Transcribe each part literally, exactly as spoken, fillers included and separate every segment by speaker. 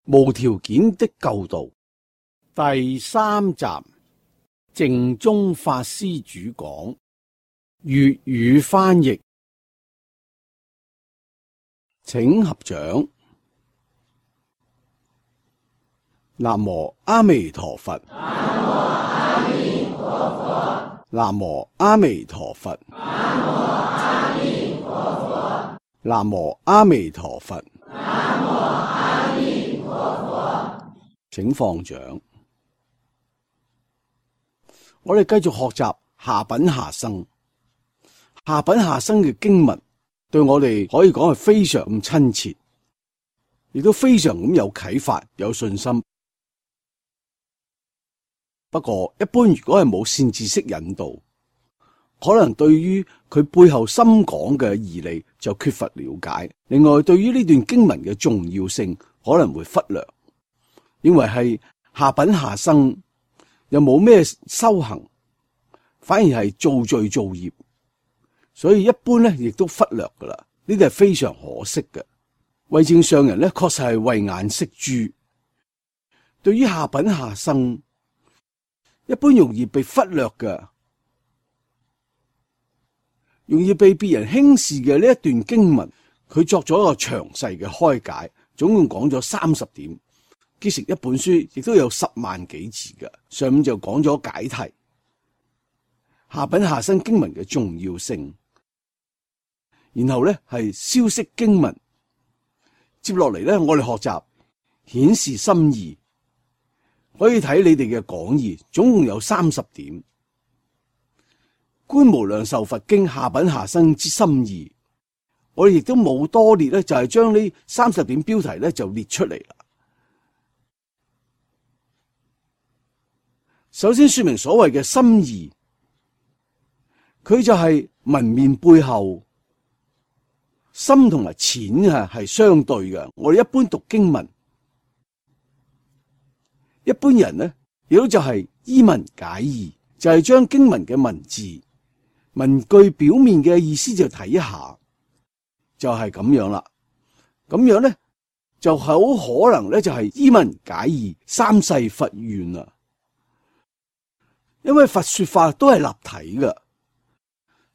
Speaker 1: 無條件的救度第三集，淨宗法師主講，粵語翻譯，請合掌。南無阿彌陀佛。南無阿彌陀佛。南無阿彌陀佛。南無阿彌陀佛。請放掌。我哋繼續學習下品下生。下品下生嘅經文對我哋可以講係非常咁親切，亦都非常咁有啟發、有信心。不過一般如果係冇善知識引導，可能對於佢背後深講嘅義理就缺乏了解。另外，對於呢段經文嘅重要性可能會忽略，認為係下品下生，又冇咩修行，反而係造罪造業，所以一般咧亦都忽略噶啦。呢啲係非常可惜嘅。慧證上人咧確實係慧眼識珠，對於下品下生，一般容易被忽略嘅，容易被別人輕視嘅呢一段經文，佢作咗一個詳細嘅開解，總共講咗三十點，結成一本書，亦都有十萬幾字嘅。上面就講咗解題，下品下生經文嘅重要性，然後咧係消釋經文，接落嚟咧我哋學習顯示心意。可以睇你哋嘅講義，總共有三十點。觀無量壽佛經下品下生之心意，我哋亦都冇多列咧，就係將呢三十點標題咧就列出嚟啦。首先說明所謂嘅心意，佢就係文面背後深同埋淺啊係相對嘅。我哋一般讀經文，一般人呢，亦都就係依文解義，就係將經文嘅文字、文句表面嘅意思就睇一下，就係咁樣啦。咁樣呢，就好可能呢，就係依文解義，三世佛願啊。因為佛說法都係立體嘅，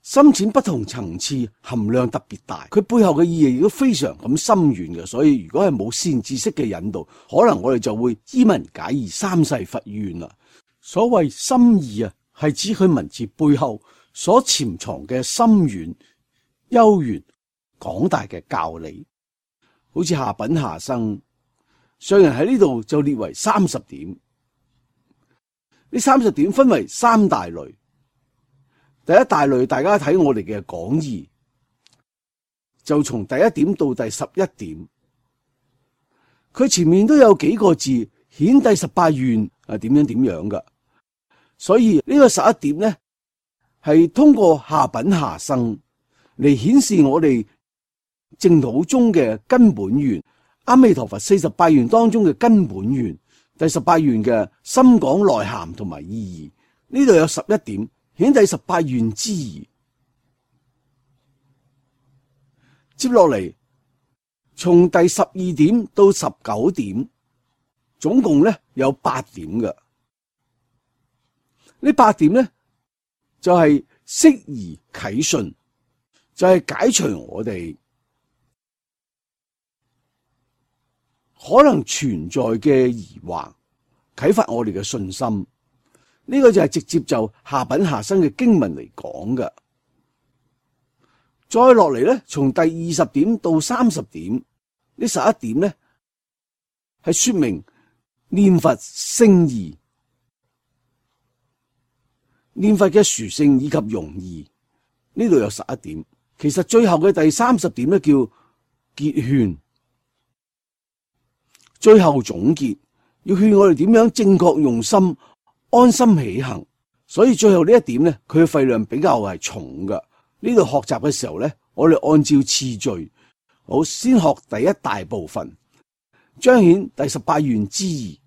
Speaker 1: 深淺不同層次，含量特別大，佢背後嘅意義亦都非常咁深遠嘅。所以如果係冇善知識嘅引導，可能我哋就會依文解義，三世佛願啦。所謂心意啊，係指佢文字背後所潛藏嘅深遠、悠遠、廣大嘅教理。好似下品下生，上人喺呢度就列為三十點。呢三十點分為三大類。第一大類，大家睇我哋嘅講義，就從第一點到第十一點，佢前面都有幾個字顯第十八願係點樣點樣噶。所以呢個十一點呢，係通過下品下生嚟顯示我哋淨土中嘅根本願，阿彌陀佛四十八願當中嘅根本願，第十八願嘅深廣內涵同埋意義。呢度有十一點顯第十八願之義。接落嚟，從第十二點到十九點，總共咧有八點嘅。呢八點咧就係釋疑啟信，就係解除我哋可能存在嘅疑惑，啟發我哋嘅信心。呢個就係直接就下品下生嘅經文嚟講嘅。再落嚟咧，從第二十點到三十點，呢十一點咧係說明念佛聖義，念佛嘅殊勝以及容易。呢度有十一點。其實最後嘅第三十點咧叫結勸，最後總結，要勸我哋點樣正確用心，安心起行。所以最後呢一點咧，佢嘅費量比較係重噶。呢度學習嘅時候咧，我哋按照次序，好，先學第一大部分，彰顯第十八願之義，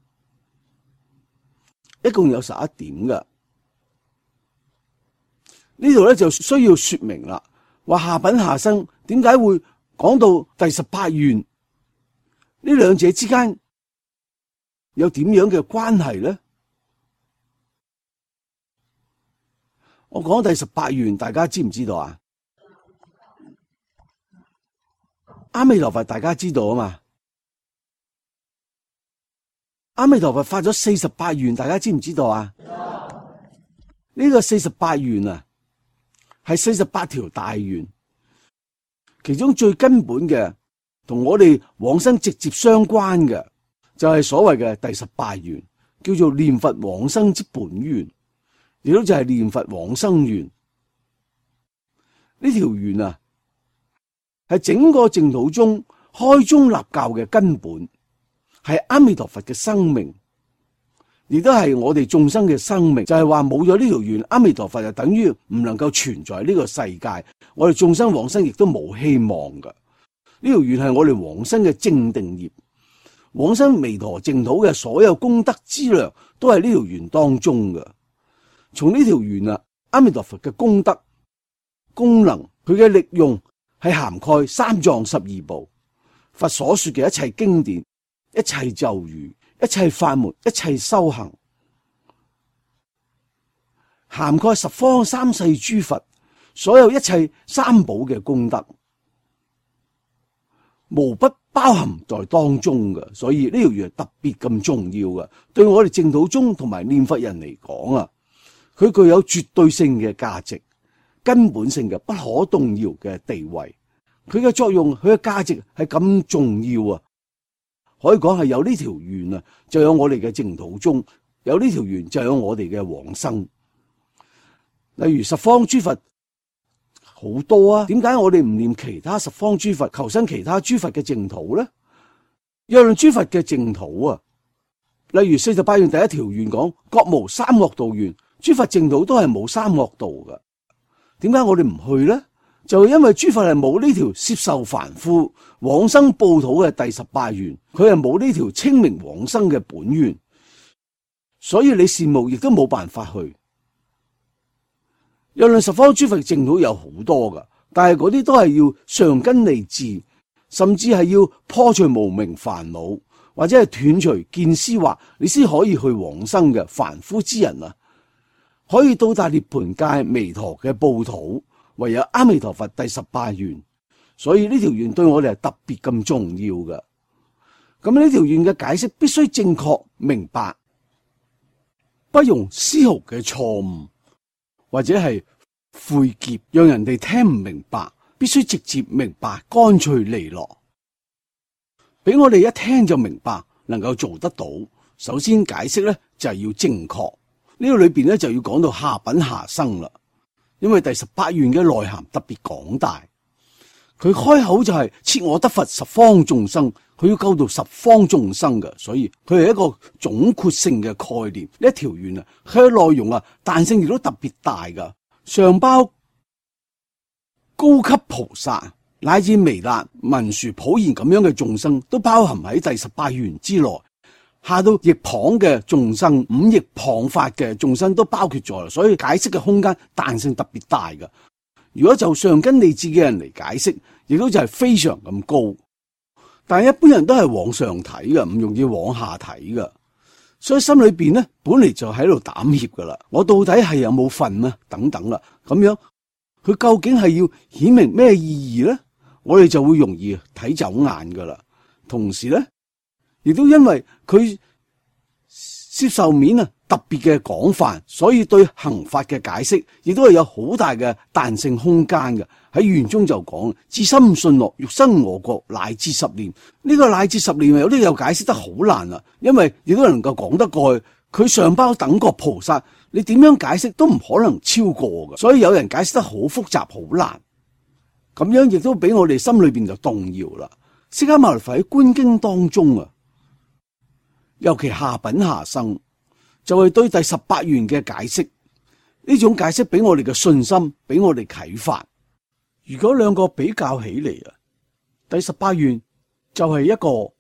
Speaker 1: 一共有十一點噶。呢度咧就需要說明啦，話下品下生點解會講到第十八願？呢兩者之間有點樣嘅關係呢？我講第十八願，大家知唔知道啊？阿彌陀佛，大家知道啊嘛？阿彌陀佛發咗四十八願，大家知唔知道啊？呢個四十八願啊，係四十八條大願，其中最根本嘅，同我哋往生直接相關嘅，就係所謂嘅第十八願，叫做念佛往生之本願，亦都就係念佛往生願。呢條願啊，係整個淨土宗開宗立教嘅根本，係阿彌陀佛嘅生命，亦都係我哋眾生嘅生命。就係話冇咗呢條願，阿彌陀佛就等於唔能夠存在呢個世界，我哋眾生往生亦都冇希望噶。呢條願係我哋往生嘅正定業，往生彌陀淨土嘅所有功德資糧都係呢條願當中嘅。從呢條願啊，阿彌陀佛嘅功德功能，佢嘅力用係涵蓋三藏十二部，佛所說嘅一切經典、一切咒語、一切法門、一切修行，涵蓋十方三世諸佛所有一切三寶嘅功德，無不包含在當中嘅。所以呢條願特別咁重要嘅，對我哋淨土宗同埋念佛人嚟講啊，佢具有絕對性嘅價值，根本性嘅不可動搖嘅地位。佢嘅作用，佢嘅價值係咁重要啊！可以講係有呢條願啊，就有我哋嘅淨土宗；有呢條願就有我哋嘅往生。例如十方諸佛好多啊，點解我哋唔念其他十方諸佛，求生其他諸佛嘅淨土呢？若論諸佛嘅淨土啊，例如四十八願第一條願講各無三惡道願，諸佛淨土都係冇三惡道噶。點解我哋唔去呢？就因為諸佛係冇呢條攝受凡夫往生報土嘅第十八願，佢係冇呢條清明往生嘅本願，所以你羨慕亦都冇辦法去。若論十方諸佛淨土有好多噶，但係嗰啲都係要上根利智，甚至係要破除無明煩惱，或者係斷除見思惑，你先可以去往生嘅凡夫之人啊，可以到達涅槃界彌陀嘅報土，唯有阿彌陀佛第十八願。所以呢條願對我哋係特別咁重要嘅。咁呢條願嘅解釋必須正確明白，不容絲毫嘅錯誤或者係晦澀，讓人哋聽唔明白，必須直接明白，乾脆利落，俾我哋一聽就明白，能夠做得到。首先解釋咧就係要正確，呢個裏邊咧就要講到下品下生啦，因為第十八願嘅內涵特別廣大。佢開口就係設我得佛十方眾生，佢要救到十方眾生嘅，所以佢係一個總括性嘅概念。呢一條願啊，佢嘅內容啊，彈性亦都特別大噶，上包高級菩薩乃至彌勒、文殊、普賢咁樣嘅眾生，都包含喺第十八願之內。下到逆旁嘅眾生，五逆旁法嘅眾生都包括咗，所以解釋嘅空間彈性特別大噶。如果就上根利智嘅人嚟解釋，亦都就係非常咁高，但係一般人都係往上睇嘅，唔容易往下睇嘅，所以心裏邊咧本嚟就喺度膽怯噶啦，我到底係有冇份啊？等等啦，咁樣佢究竟係要顯明咩意義咧？我哋就會容易睇走眼噶啦。同時咧，亦都因為佢接受面啊特別嘅廣泛，所以對行法嘅解釋亦都係有好大嘅彈性空間嘅。喺願中就講至心信樂，欲生我國乃至十念。呢、這個乃至十念有啲又解釋得好難啊，因為亦都能夠講得過去。佢上包等覺菩薩，你點樣解釋都唔可能超過嘅。所以有人解釋得好複雜好難，咁樣亦都俾我哋心裏邊就動搖啦。釋迦牟尼佛喺觀經當中啊，尤其下品下生，就係對第十八願嘅解釋，呢種解釋俾我哋嘅信心，俾我哋啟發。如果兩個比較起嚟啊，第十八願就係一個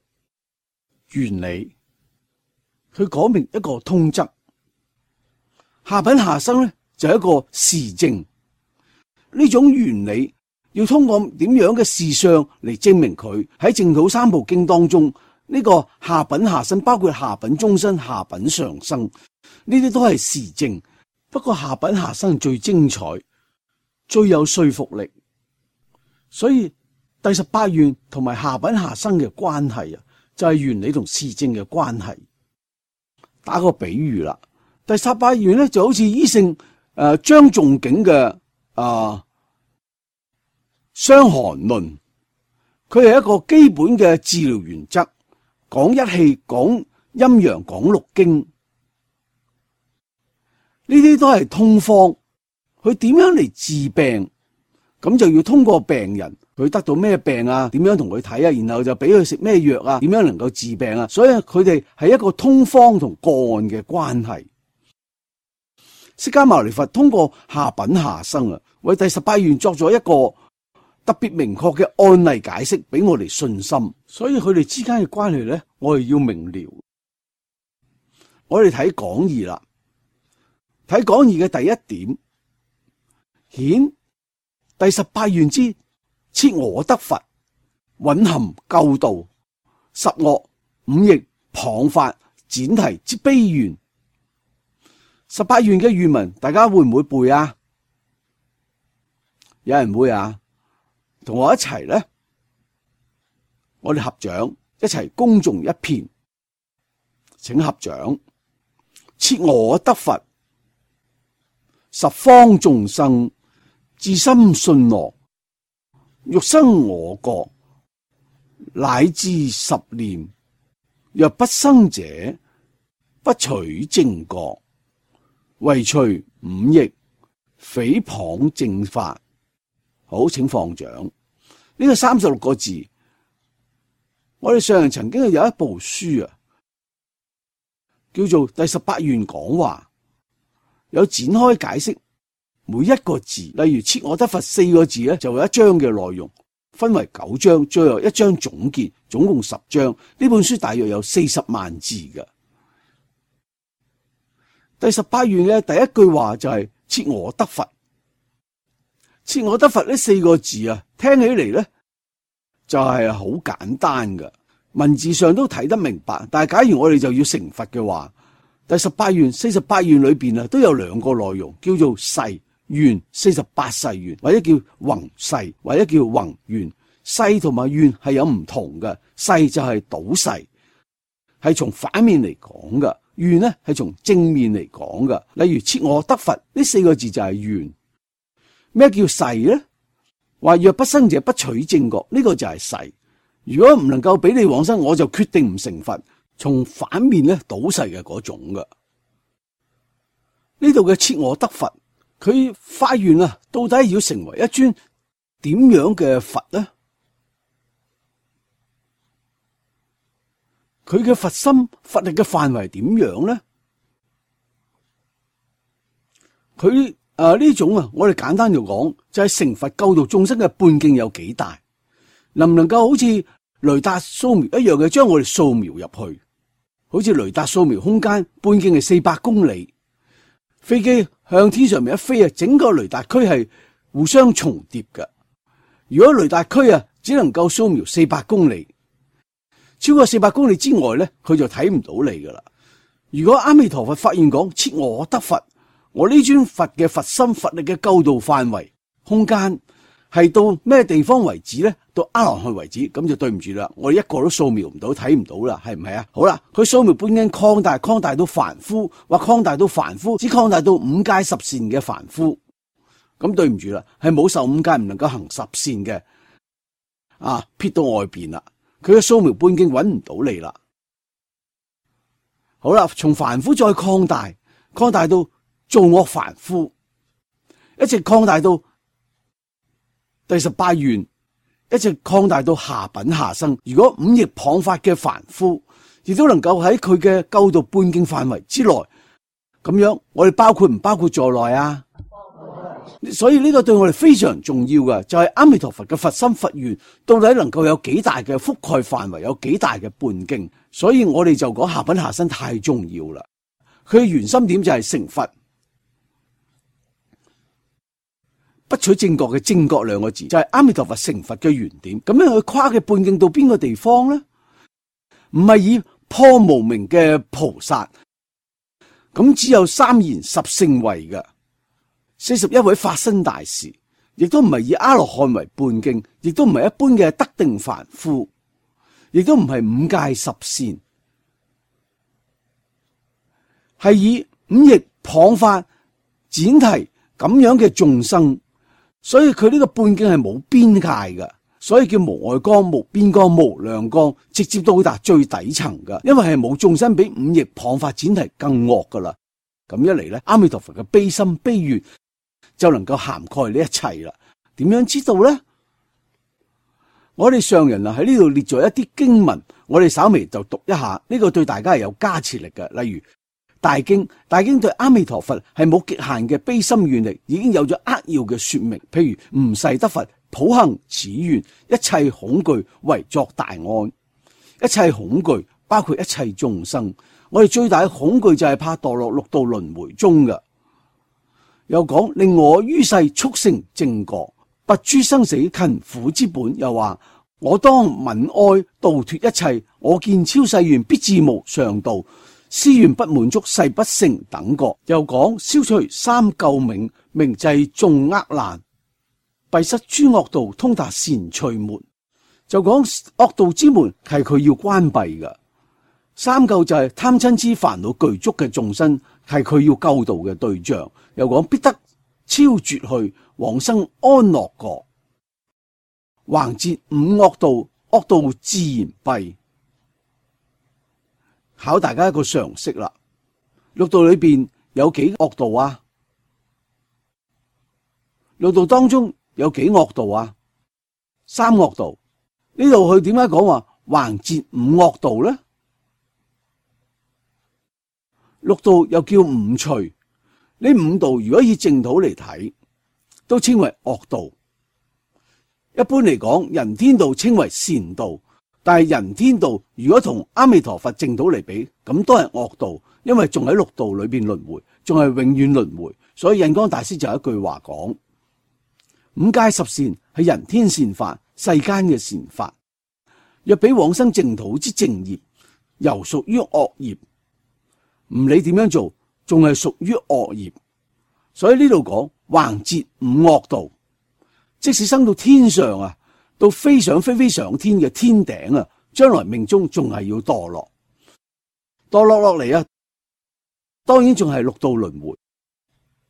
Speaker 1: 原理，佢講明一個通則；下品下生咧就係一個事證。呢種原理要通過點樣嘅事相嚟證明佢喺淨土三部經當中呢個下品下生，包括下品中生、下品上生，呢啲都係時證。不過下品下生最精彩，最有說服力。所以第十八願同埋下品下生嘅關係啊，就係原理同時證嘅關係。打個比喻啦，第十八願咧就好似醫聖誒張仲景嘅啊《傷寒論》，佢係一個基本嘅治療原則，講一氣、講陰陽、講六經，呢啲都係通方。佢點樣嚟治病？咁就要通過病人，佢得到咩病啊？點樣同佢睇啊？然後就俾佢食咩藥啊？點樣能夠治病啊？所以佢哋係一個通方同個案嘅關係。釋迦牟尼佛通過下品下生啊，為第十八願作咗一個特別明確嘅案例解釋，俾我哋信心。所以佢哋之間嘅關係咧，我哋要明了。我哋睇講義啦，睇講義嘅第一點，顯第十八願之設我得佛，蘊含救度，十惡五逆謗法闡提之悲願。十八願嘅願文，大家會唔會背啊？有人會啊？同我一齊咧，我哋合掌一齊恭誦一遍，請合掌。設我得佛，十方眾生至心信羅，欲生我國，乃至十念，若不生者，不取正覺，唯除五逆，誹謗正法。好，請放掌。呢個三十六個字，我哋上人曾經有一部書啊，叫做《第十八願講話》，有展開解釋每一個字。例如設我得佛四個字咧，就有一章嘅內容，分為九章，最後一章總結，總共十章。呢本書大約有四十萬字嘅。第十八願嘅第一句話就係設我得佛。設我得佛呢四個字啊，聽起嚟咧就係好簡單嘅，文字上都睇得明白。但係假如我哋就要成佛嘅話，第十八願、四十八願裏邊啊都有兩個內容，叫做誓願、四十八誓願，或者叫宏誓，或者叫宏願。誓同埋願係有唔同嘅，誓就係倒誓，係從反面嚟講嘅；願呢係從正面嚟講嘅。例如設我得佛呢四個字就係願。咩叫誓咧？話若不生者不取正覺，呢、這個就係誓。如果唔能夠俾你往生，我就決定唔成佛。從反面咧倒誓嘅嗰種嘅。呢度嘅設我得佛，佢發願啊，到底要成為一尊點樣嘅佛咧？佢嘅佛心佛力嘅範圍點樣咧？佢誒呢種啊，我哋簡單就講，就係、是、成佛救度眾生嘅半徑有幾大？能唔能夠好似雷達掃描一樣嘅將我哋掃描入去？好似雷達掃描空間半徑係四百公里，飛機向天上面一飛啊，整個雷達區係互相重疊嘅。如果雷達區啊只能夠掃描四百公里，超過四百公里之外咧，佢就睇唔到你噶啦。如果阿彌陀佛發願講設我得佛，我呢尊佛嘅佛心佛力嘅救度範圍空間係到咩地方為止咧？到阿羅漢為止，咁就對唔住啦，我哋一個都掃描唔到，睇唔到啦，係唔係啊？好啦，佢掃描半徑擴大，擴大到凡夫，或擴大到凡夫，只擴大到五界十善嘅凡夫，咁對唔住啦，係冇受五界唔能夠行十善嘅，啊撇到外邊啦，佢嘅掃描半徑揾唔到你啦。好啦，從凡夫再擴大，擴大到造惡凡夫，一直擴大到第十八願，一直擴大到下品下生。如果五逆謗法嘅凡夫，亦都能夠喺佢嘅救度半徑範圍之內，咁樣我哋包括唔包括在內啊？所以呢個對我哋非常重要嘅，就係阿彌陀佛嘅佛心佛願到底能夠有幾大嘅覆蓋範圍，有幾大嘅半徑。所以我哋就講下品下生太重要啦。佢嘅原心點就係成佛。不取正覺嘅正覺兩個字就係阿彌陀佛成佛嘅原點，咁樣佢跨嘅半徑到邊個地方咧？唔係以破無明嘅菩薩，咁只有三賢十聖位嘅四十一位法身大士，亦都唔係以阿羅漢為半徑，亦都唔係一般嘅得定凡夫，亦都唔係五戒十善，係以五逆謗法闡提咁樣嘅眾生，所以佢呢個半徑係冇邊界嘅，所以叫無礙光、無邊光、無量光，直接到達最底層嘅，因為係冇眾生比五逆謗法闡提更惡噶啦。咁一嚟咧，阿彌陀佛嘅悲心悲願就能夠涵蓋呢一切啦。點樣知道咧？我哋上人啊喺呢度列咗一啲經文，我哋稍微就讀一下，呢個對大家係有加持力嘅。例如大經，大經對阿彌陀佛係冇極限嘅悲心願力，已經有咗扼要嘅說明。譬如唔誓得佛普行此願，一切恐懼為作大安。一切恐懼包括一切眾生，我哋最大嘅恐懼就係怕墮落六道輪迴中嘅。又講令我於世速成正覺，拔諸生死勤苦之本。又話我當愍哀度脫一切，我見超世願必至無上道，思願不滿足誓不成等覺。又講消除三垢冥，明濟眾厄難，閉塞諸惡道，通達善趣門。就講惡道之門係佢要關閉嘅。三垢就係貪嗔癡煩惱具足嘅眾生，係佢要救度嘅對象。又講必得超絕去，往生安樂國。橫截五惡道，惡道自然閉。考大家一個常識啦，六道裏邊有幾惡道啊？六道當中有幾惡道啊？三惡道。呢度佢點解講話橫截五惡道咧？六道又叫五趣，呢五道如果以淨土嚟睇，都稱為惡道。一般嚟講，人天道稱為善道，但係人天道如果同阿彌陀佛淨土嚟比，咁都係惡道，因為仲喺六道裏邊輪迴，仲係永遠輪迴。所以印光大師就有一句話講：五戒十善係人天善法，世間嘅善法，若比往生淨土之正業，猶屬於惡業。唔理點樣做，仲係屬於惡業。所以呢度講橫截五惡道，即使生到天上啊，到飛上飛飛上天嘅天頂啊，將來命中仲係要墮落，墮落落嚟啊，當然仲係六道輪迴。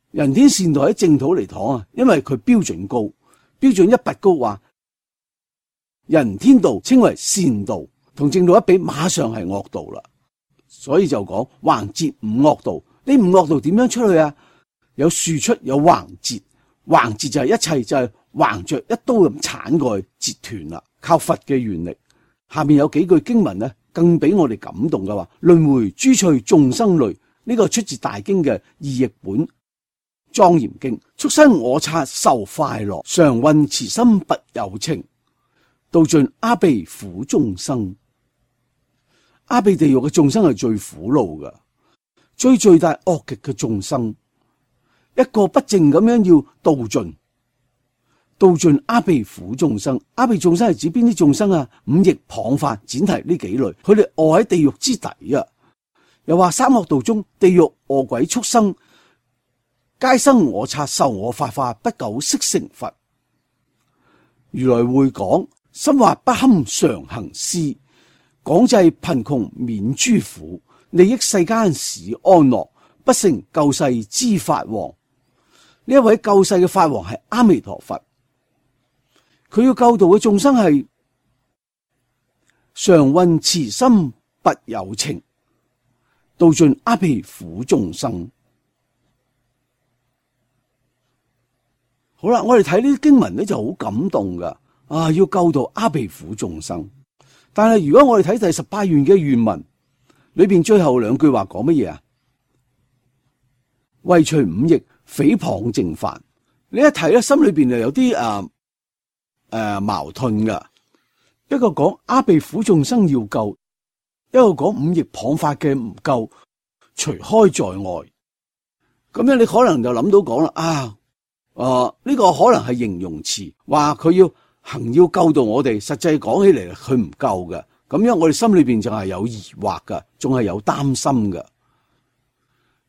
Speaker 1: 人天善道喺淨土嚟講啊，因為佢標準高，標準一拔高，話人天道稱為善道，同淨土一比，馬上係惡道啦。所以就講橫截五惡道，呢五惡道點樣出去啊？有豎出，有橫截。橫截就係一切就係橫着一刀咁鏟過去截斷啦，靠佛嘅願力。下面有幾句經文咧，更俾我哋感動嘅話：輪迴諸趣眾生類，呢個出自大經嘅二譯本莊嚴經。畜生我剎受快樂，常運慈心拔有情，度盡阿鼻苦眾生。阿鼻地獄嘅眾生係最苦惱嘅，最最大惡極嘅眾生，一個不正咁樣要度盡，度盡阿鼻苦眾生。阿鼻眾生係指邊啲眾生啊？五逆謗法闡提呢幾類，佢哋餓喺地獄之底啊。又話三惡道中，地獄餓鬼畜生，皆生我剎受我法化，不久悉成佛。如來會講，心惑不堪常行施，廣濟貧窮免諸苦，利益世間使安樂，不成救世之法王。呢一位救世嘅法王係阿彌陀佛，佢要救度嘅眾生係常運慈心拔有情，度盡阿鼻苦眾生。好啦，我哋睇呢啲經文咧就好感動噶，啊，要救度阿鼻苦眾生。但係如果我哋睇第十八願嘅願文裏邊最後兩句話講乜嘢啊？為除五逆誹謗正犯，你一睇咧，心裏邊就有啲誒誒矛盾噶。一個講阿鼻苦眾生要救，一個講五逆謗法嘅唔救，除開在外。咁樣你可能就諗到講啦，啊，誒、呃、呢、這個可能係形容詞，話佢要行要救到我哋，實際講起嚟佢唔救嘅。咁樣我哋心裏邊就係有疑惑噶，仲係有擔心噶。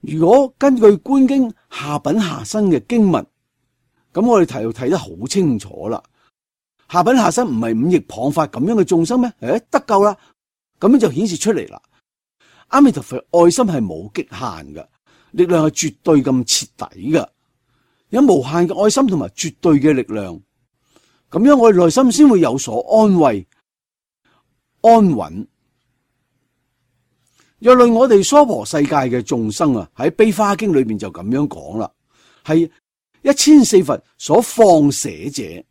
Speaker 1: 如果根據觀經下品下生嘅經文，咁我哋睇睇得好清楚啦。下品下生唔係五逆謗法咁樣嘅眾生咩？誒，得救啦，咁樣就顯示出嚟啦。阿彌陀佛愛心係冇極限嘅，力量係絕對咁徹底嘅，有無限嘅愛心同埋絕對嘅力量。咁樣我哋內心先會有所安慰、安穩。若論我哋娑婆世界嘅眾生啊，喺《悲華經》裏邊就咁樣講啦，係一千四佛所放捨者。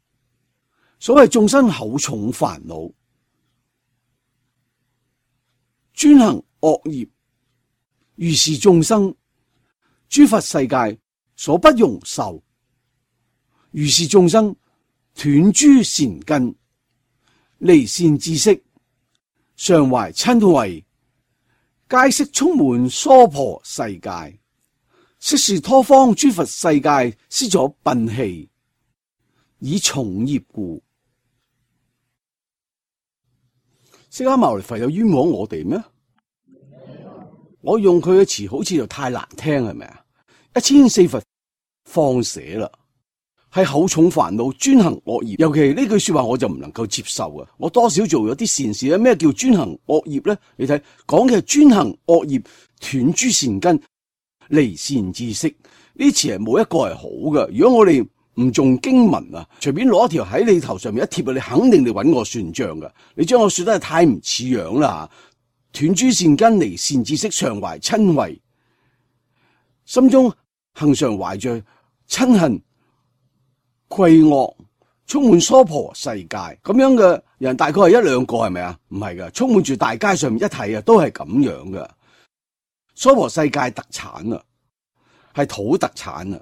Speaker 1: 所謂眾生厚重煩惱，專行惡業，如是眾生，諸佛世界所不容受。如是眾生斷諸善根，離善知識，常懷瞋恚，皆悉充滿娑婆世界。悉是他方諸佛世界施所擯棄，以重業故。釋迦牟尼佛有冤枉我哋咩？我用佢嘅詞好似就太難聽，係咪啊？一千四佛放捨啦，係厚重煩惱，專行惡業。尤其呢句說話我就唔能夠接受啊！我多少做咗啲善事咧？咩叫專行惡業咧？你睇講嘅係專行惡業，斷諸善根，離善知識。呢詞係冇一個係好嘅。如果我哋唔重經文啊，隨便攞一條喺你頭上面一貼啊，你肯定你揾我算賬噶。你將我說得係太唔似樣啦！斷諸善根，離善知識，常懷瞋恚，心中恆常懷着瞋恨、恚惡，充滿娑婆世界。咁樣嘅人大概係一兩個，係咪啊？唔係噶，充滿住大街上面一睇啊，都係咁樣噶。娑婆世界特產啊，係土特產啊。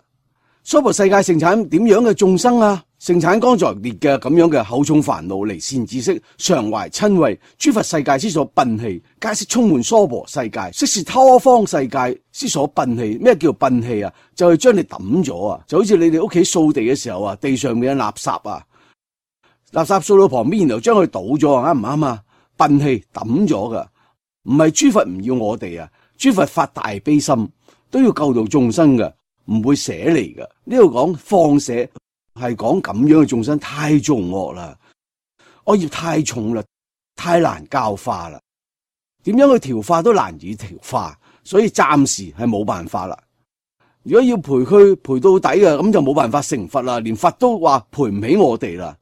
Speaker 1: 娑婆世界盛產點樣嘅眾生啊？盛產剛才列嘅咁樣嘅厚重煩惱，離善知識，常懷瞋恚，諸佛世界之所擯棄，皆悉充滿娑婆世界。悉是他方世界之所擯棄。咩叫擯棄啊？就係將你抌咗啊！就好似你哋屋企掃地嘅時候啊，地上面嘅垃圾啊，垃圾掃到旁邊，然後將佢倒咗啊，啱唔啱啊？擯棄抌咗噶，唔係諸佛唔要我哋啊！諸佛發大悲心，都要救度眾生噶。唔會捨離嘅。呢度講放捨係講咁樣嘅眾生太重惡啦，惡業太重啦，太難教化啦，點樣去調化都難以調化，所以暫時係冇辦法啦。如果要陪佢陪到底嘅，咁就冇辦法成佛啦，連佛都話陪唔起我哋啦。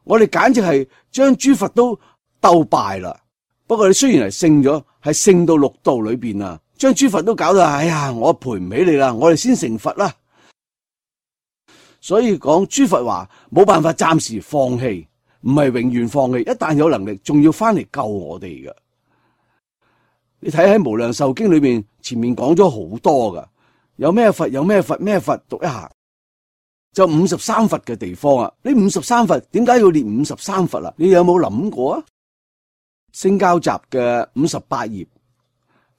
Speaker 1: 我哋簡直係將諸佛都鬥敗啦。不過你雖然係勝咗，係勝到六道裏邊啊。將諸佛都搞到，哎呀，我陪唔起你啦，我哋先成佛啦。所以講諸佛話冇辦法暫時放棄，唔係永遠放棄，一旦有能力，仲要翻嚟救我哋嘅。你睇喺無量壽經裏面，前面講咗好多噶，有咩佛有咩佛咩佛，讀一下就五十三佛嘅地方啊。呢五十三佛點解要列五十三佛啊？你有冇諗過啊？聖教集嘅五十八頁。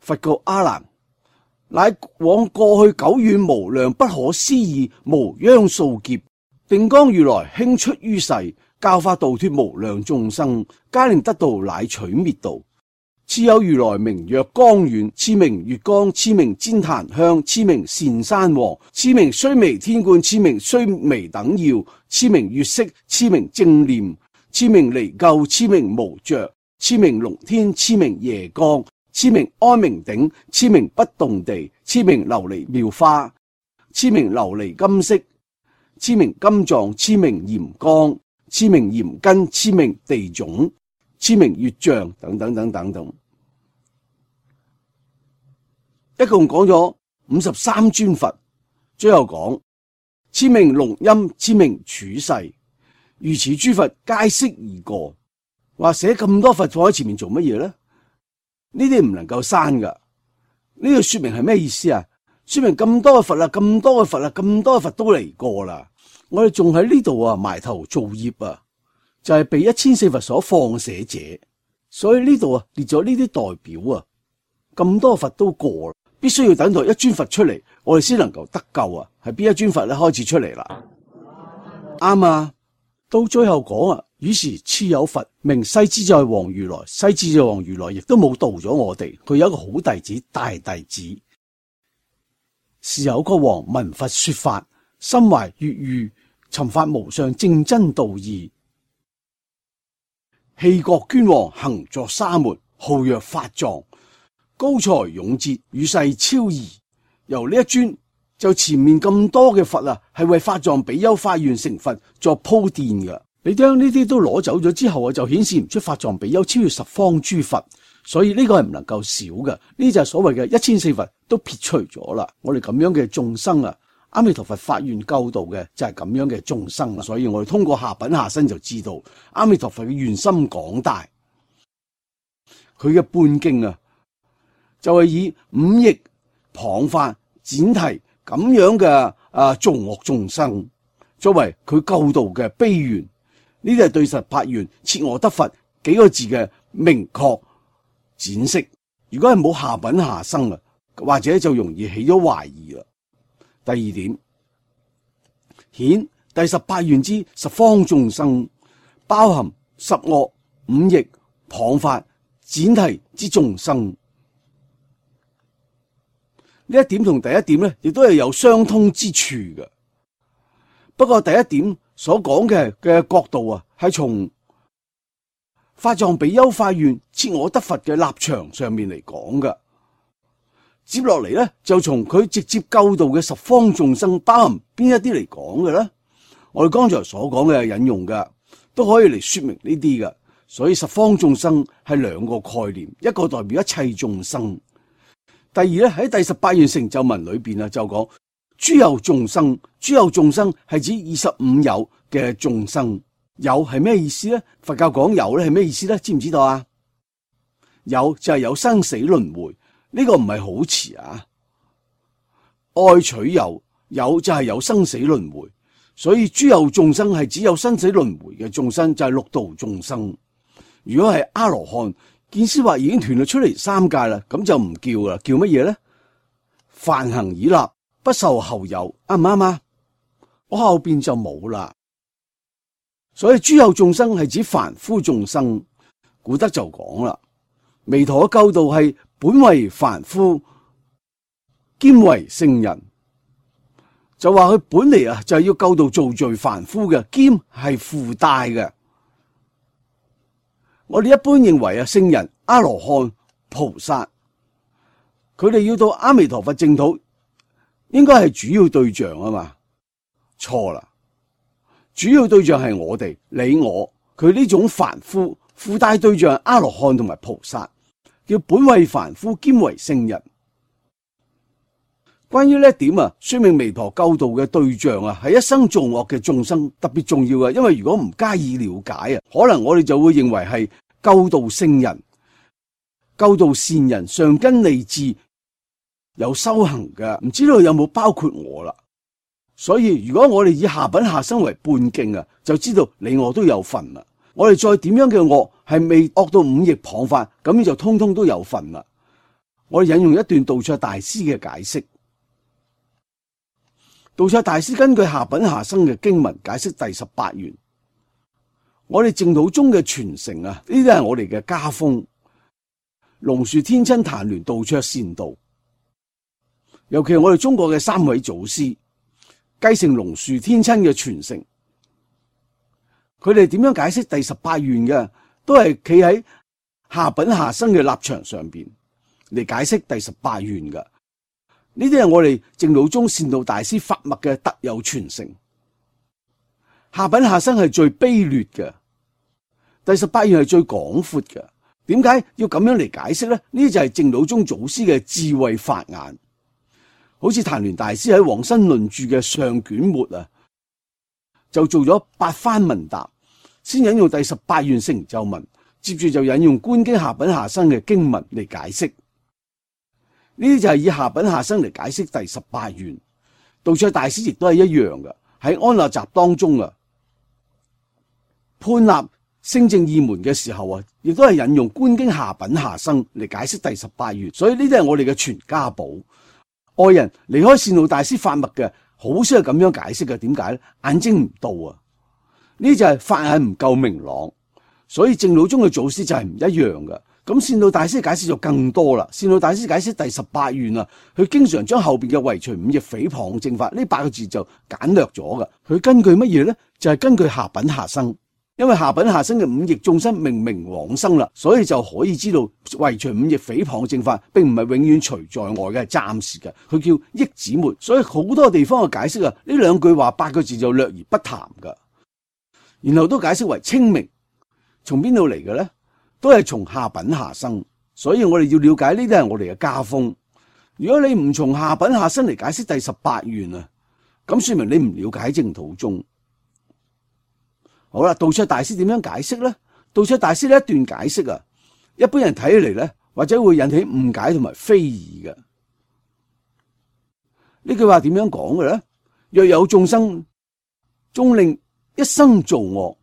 Speaker 1: 佛告阿難，乃往過去久遠無量不可思議無央數劫，定光如來興出於世，教化度脫無量眾生，皆令得道乃取滅道。次有如來名曰光遠，次名月光，次名旃檀香，次名善山王，次名須彌天冠，次名須彌等耀，次名月色，次名正念，次名離垢，次名無着，次名龍天，次名夜光。次名安明頂，次名不動地，次名琉璃妙花，次名琉璃金色，次名金藏，次名鹽光，次名鹽根，次名地種，次名月像，等等等等等，一共講咗五十三尊佛。最後講次名龍音，次名處世，如此諸佛皆悉已過。話寫咁多佛放喺前面做乜嘢咧？呢啲唔能夠刪噶，呢個說明係咩意思啊？說明咁多嘅佛啦，咁多嘅佛啦，咁多嘅佛都嚟過啦，我哋仲喺呢度啊埋頭造業啊，就係、是、被一千四佛所放捨者，所以呢度啊列咗呢啲代表啊，咁多佛都過啦，必須要等待一尊佛出嚟，我哋先能夠得救啊！係邊一尊佛咧開始出嚟啦？啱啊！到最後講啊，於是次有佛名西之在王如來，西之在王如來亦都冇度咗我哋，佢有一個好弟子大弟子。是有個王聞佛說法，心懷悅譽，尋發無上正真道義。棄國捐王行作沙門，號曰法藏，高才勇節，與世超異。由呢一尊就前面咁多嘅佛啊，係為法藏比丘發願成佛作鋪墊嘅。你將呢啲都攞走咗之後啊，就顯示唔出法藏比丘超越十方諸佛，所以呢個係唔能夠少嘅。呢就係所謂嘅一千四佛都撇除咗啦。我哋咁樣嘅眾生啊，阿彌陀佛發願救度嘅就係咁樣嘅眾生啦。所以我哋通過下品下生就知道阿彌陀佛嘅願心廣大，佢嘅半徑啊，就係以五億謗法闡提咁樣嘅啊造惡眾生作為佢救度嘅悲願。呢啲係對十八願切我得佛幾個字嘅明確展釋。如果係冇下品下生啊，或者就容易起咗懷疑啦。第二點，顯第十八願之十方眾生，包含十惡五逆謗法闡提之眾生。呢一點同第一點咧，亦都係有相通之處嘅。不過第一點所講嘅嘅角度啊，係從法藏比丘發願切我得佛嘅立場上面嚟講嘅。接落嚟咧，就從佢直接救度嘅十方眾生包含邊一啲嚟講嘅咧。我哋剛才所講嘅引用嘅都可以嚟說明呢啲嘅。所以十方眾生係兩個概念，一個代表一切眾生。第二咧，喺第十八願成就文裏邊啊，就講諸有眾生，諸有眾生係指二十五有嘅眾生。有係咩意思咧？佛教講有咧係咩意思咧？知唔知道啊？有就係有生死輪迴，呢個唔係好詞啊。愛取有，有就係有生死輪迴，所以諸有眾生係指有生死輪迴嘅眾生，就係六道眾生。如果係阿羅漢，見思惑已經斷咗出嚟三界啦，咁就唔叫啦，叫乜嘢咧？梵行已立，不受後有，啱唔啱啊？我後邊就冇啦。所以諸有眾生係指凡夫眾生。古德就講啦，彌陀嘅救度係本為凡夫，兼為聖人，就話佢本嚟啊就係要救度造罪凡夫嘅，兼係附帶嘅。我哋一般認為啊，聖人、阿羅漢、菩薩，佢哋要到阿彌陀佛淨土，應該係主要對象啊嘛？錯啦，主要對象係我哋，你我，佢呢種凡夫附帶對象係阿羅漢同埋菩薩，叫本為凡夫兼為聖人。關於呢一點啊，說明彌陀救度嘅對象啊，係一生造惡嘅眾生，特別重要嘅。因為如果唔加以了解啊，可能我哋就會認為係救度聖人、救度善人、上根利智有修行嘅，唔知道有冇包括我啦。所以如果我哋以下品下生為半徑啊，就知道你我都有份啦。我哋再點樣嘅惡係未惡到五逆謗法，咁就通通都有份啦。我哋引用一段道綽大師嘅解釋。道綽大師根據下品下生嘅經文解釋第十八願。我哋淨土宗嘅傳承啊，呢啲係我哋嘅家風。龍樹天親曇鸞道綽善道，尤其係我哋中國嘅三位祖師繼承龍樹天親嘅傳承，佢哋點樣解釋第十八願嘅，都係企喺下品下生嘅立場上邊嚟解釋第十八願嘅。呢啲係我哋淨土宗善導大師法脈嘅特有傳承。下品下生係最卑劣嘅，第十八願係最廣闊嘅。點解要咁樣嚟解釋咧？呢啲就係淨土宗祖師嘅智慧法眼。好似曇鸞大師喺《往生論注》嘅上卷末啊，就做咗八番問答，先引用第十八願成就文，接住就引用觀經下品下生嘅經文嚟解釋。呢啲就係以下品下生嚟解釋第十八願。道綽大師亦都係一樣嘅，喺安立集當中啊，判立聲證二門嘅時候啊，亦都係引用觀經下品下生嚟解釋第十八願。所以呢啲係我哋嘅傳家寶。外人離開善導大師法脈嘅，好少係咁樣解釋嘅。點解咧？眼睛唔到啊！呢就係法眼唔夠明朗，所以淨土宗嘅祖師就係唔一樣嘅。咁善導大師嘅解釋就更多啦。善導大師解釋第十八願啊，佢經常將後邊嘅唯除五逆誹謗正法呢八個字就簡略咗噶。佢根據乜嘢咧？就係、是、根據下品下生，因為下品下生嘅五逆眾生明明往生啦，所以就可以知道唯除五逆誹謗正法並唔係永遠除在外嘅，係暫時嘅。佢叫益止末，所以好多地方嘅解釋啊，呢兩句話八個字就略而不談噶。然後都解釋為清明，從邊度嚟嘅咧？都係從下品下生，所以我哋要了解呢啲係我哋嘅家風。如果你唔從下品下生嚟解釋第十八願啊，咁說明你唔了解淨土宗。好啦，道綽大師點樣解釋咧？道綽大師呢一段解釋啊，一般人睇起嚟咧，或者會引起誤解同埋非議嘅。呢句話點樣講嘅咧？若有眾生終令一生造惡，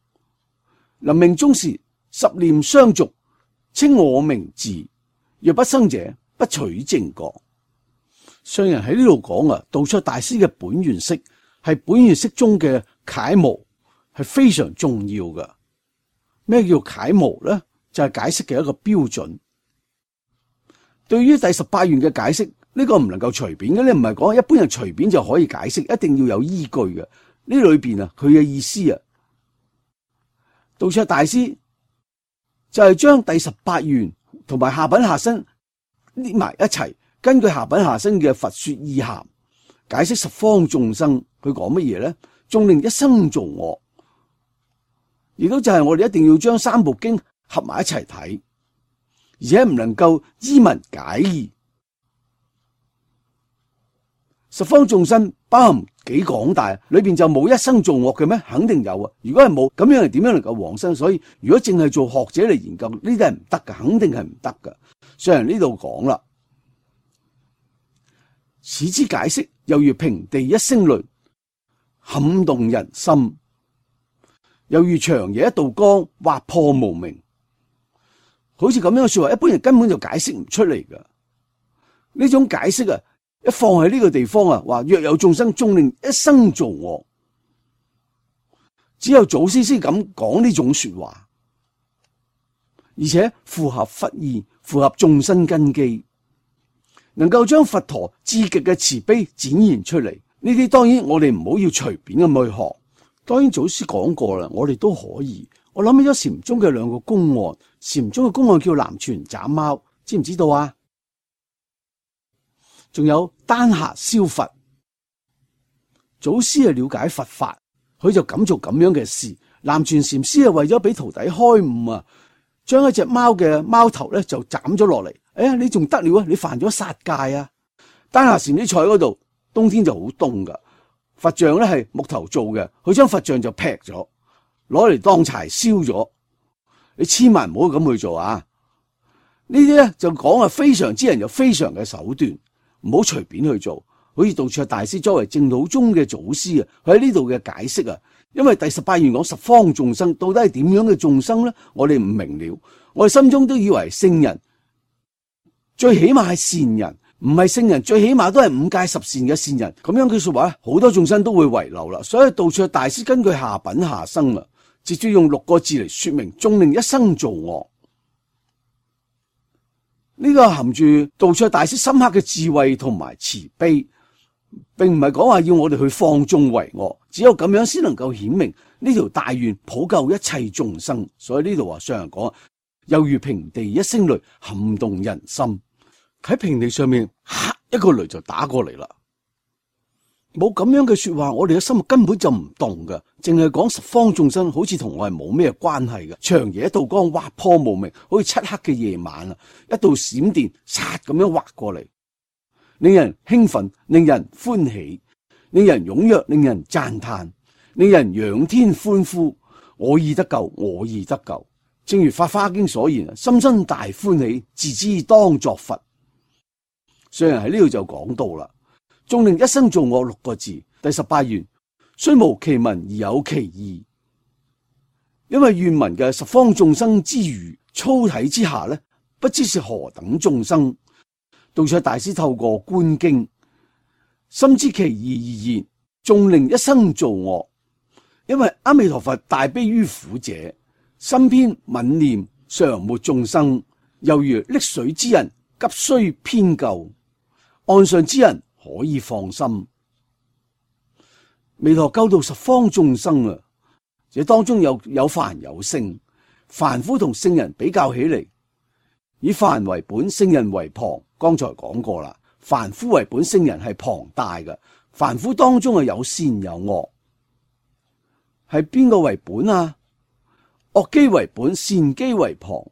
Speaker 1: 臨命終時十念相續，稱我名字，若不生者，不取正覺。上人喺呢度講啊，道綽大師嘅本願釋係本願釋中嘅楷模，係非常重要嘅。咩叫楷模咧？就係、是、解釋嘅一個標準。對於第十八願嘅解釋，呢、這個唔能夠隨便嘅，你唔係講一般人隨便就可以解釋，一定要有依據嘅。呢裏邊啊，佢嘅意思啊，道綽大師就係將第十八願同埋下品下生捏埋一齊，根據下品下生嘅佛說意涵，解釋十方眾生。佢講乜嘢咧？終令一生造惡，亦都就係我哋一定要將三部經合埋一齊睇，而且唔能夠依文解義。十方眾生包含幾廣大，裏邊就冇一生造惡嘅咩？肯定有啊！如果係冇，咁樣係點樣能夠往生？所以如果淨係做學者嚟研究呢啲係唔得噶，肯定係唔得噶。上人呢度講啦，此之解釋猶如平地一聲雷，撼動人心；猶如長夜一道光，劃破無明。好似咁樣嘅說話，一般人根本就解釋唔出嚟噶。呢種解釋啊，一放喺呢個地方啊，話若有眾生終令一生造惡，只有祖師先咁講呢種說話，而且符合佛意，符合眾生根基，能夠將佛陀至極嘅慈悲展現出嚟。呢啲當然我哋唔好要隨便咁去學。當然祖師講過啦，我哋都可以。我諗起咗禪宗嘅兩個公案，禪宗嘅公案叫南泉斬貓，知唔知道啊？仲有丹霞燒佛，祖師係了解佛法，佢就敢做咁樣嘅事。南泉禪師係為咗俾徒弟開悟啊，將一隻貓嘅貓頭咧就斬咗落嚟。哎呀，你仲得了啊？你犯咗殺戒啊！丹霞禪師坐喺嗰度，冬天就好凍噶。佛像咧係木頭做嘅，佢將佛像就劈咗，攞嚟當柴燒咗。你千萬唔好咁去做啊！呢啲咧就講啊，非常之人有非常嘅手段。唔好隨便去做，好似道綽大師作為淨土宗嘅祖師啊，佢喺呢度嘅解釋啊，因為第十八願講十方眾生到底係點樣嘅眾生咧，我哋唔明了，我哋心中都以為聖人，最起碼係善人，唔係聖人，最起碼都係五戒十善嘅善人，咁樣嘅說話，好多眾生都會遺漏啦。所以道綽大師根據下品下生啊，直接用六個字嚟說明，終令一生造惡。呢個含住道綽大師深刻嘅智慧同埋慈悲，並唔係講話要我哋去放縱為惡，只有咁樣先能夠顯明呢條大願普救一切眾生。所以呢度話上人講，猶如平地一聲雷，撼動人心。喺平地上面，吓一個雷就打過嚟啦。冇咁樣嘅說話，我哋嘅心根本就唔動噶，淨係講十方眾生，好似同我係冇咩關係嘅。長夜一道光，劃破無明，好似漆黑嘅夜晚啊，一道閃電，殺咁樣劃過嚟，令人興奮，令人歡喜，令人踴躍，令人讚嘆，令人仰天歡呼。我已得救，我已得救。正如《法華經》所言啊，心生大歡喜，自知當作佛。上人喺呢度就講到啦。終令一生造惡六個字，第十八願雖無其文而有其義，因為願文嘅十方眾生之餘，粗體之下呢，不知是何等眾生。道綽大師透過觀經，深知其義而言，終令一生造惡，因為阿彌陀佛大悲於苦者，心偏憫念常沒眾生，猶如溺水之人急需偏救，岸上之人可以放心。彌陀救度十方眾生啊！這當中有有凡有聖，凡夫同聖人比較起嚟，以凡為本，聖人為旁。剛才講過啦，凡夫為本，聖人係龐大嘅。凡夫當中係有善有惡，係邊個為本啊？惡機為本，善機為旁。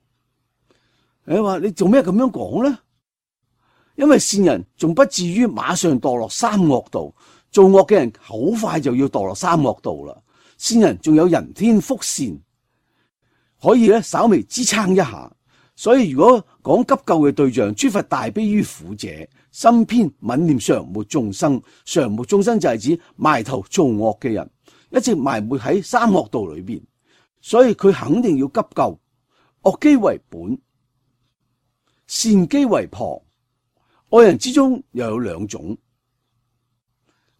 Speaker 1: 你話你做咩咁樣講呢？因為善人仲不至於馬上墮落三惡道，做惡嘅人好快就要墮落三惡道啦。善人仲有人天福善，可以咧稍微支撐一下。所以如果講急救嘅對象，諸佛大悲於苦者，心偏憫念常沒眾生。常沒眾生就係指埋頭做惡嘅人，一直埋沒喺三惡道裏邊，所以佢肯定要急救。惡機為本，善機為旁。惡人之中又有兩種，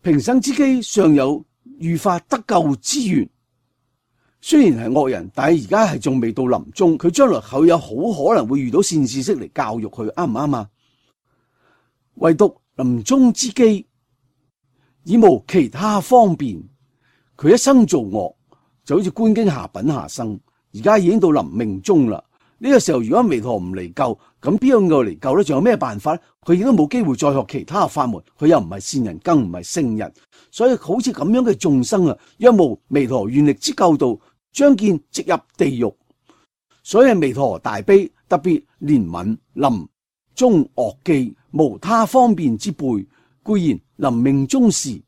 Speaker 1: 平生之機尚有遇法得救之緣。雖然係惡人，但係而家係仲未到臨終，佢將來佢有好可能會遇到善知識嚟教育佢，啱唔啱啊？唯獨臨終之機，已無其他方便。佢一生做惡，就好似觀經下品下生，而家已經到臨命終啦。呢個時候如果彌陀唔嚟救，咁邊個嚟救咧？仲有咩辦法咧？佢亦都冇機會再學其他法門，佢又唔係善人，更唔係聖人，所以好似咁樣嘅眾生啊，若無彌陀願力之救度，將見直入地獄。所以彌陀大悲，特別憐憫臨終惡機，無他方便之輩，固然臨命終時，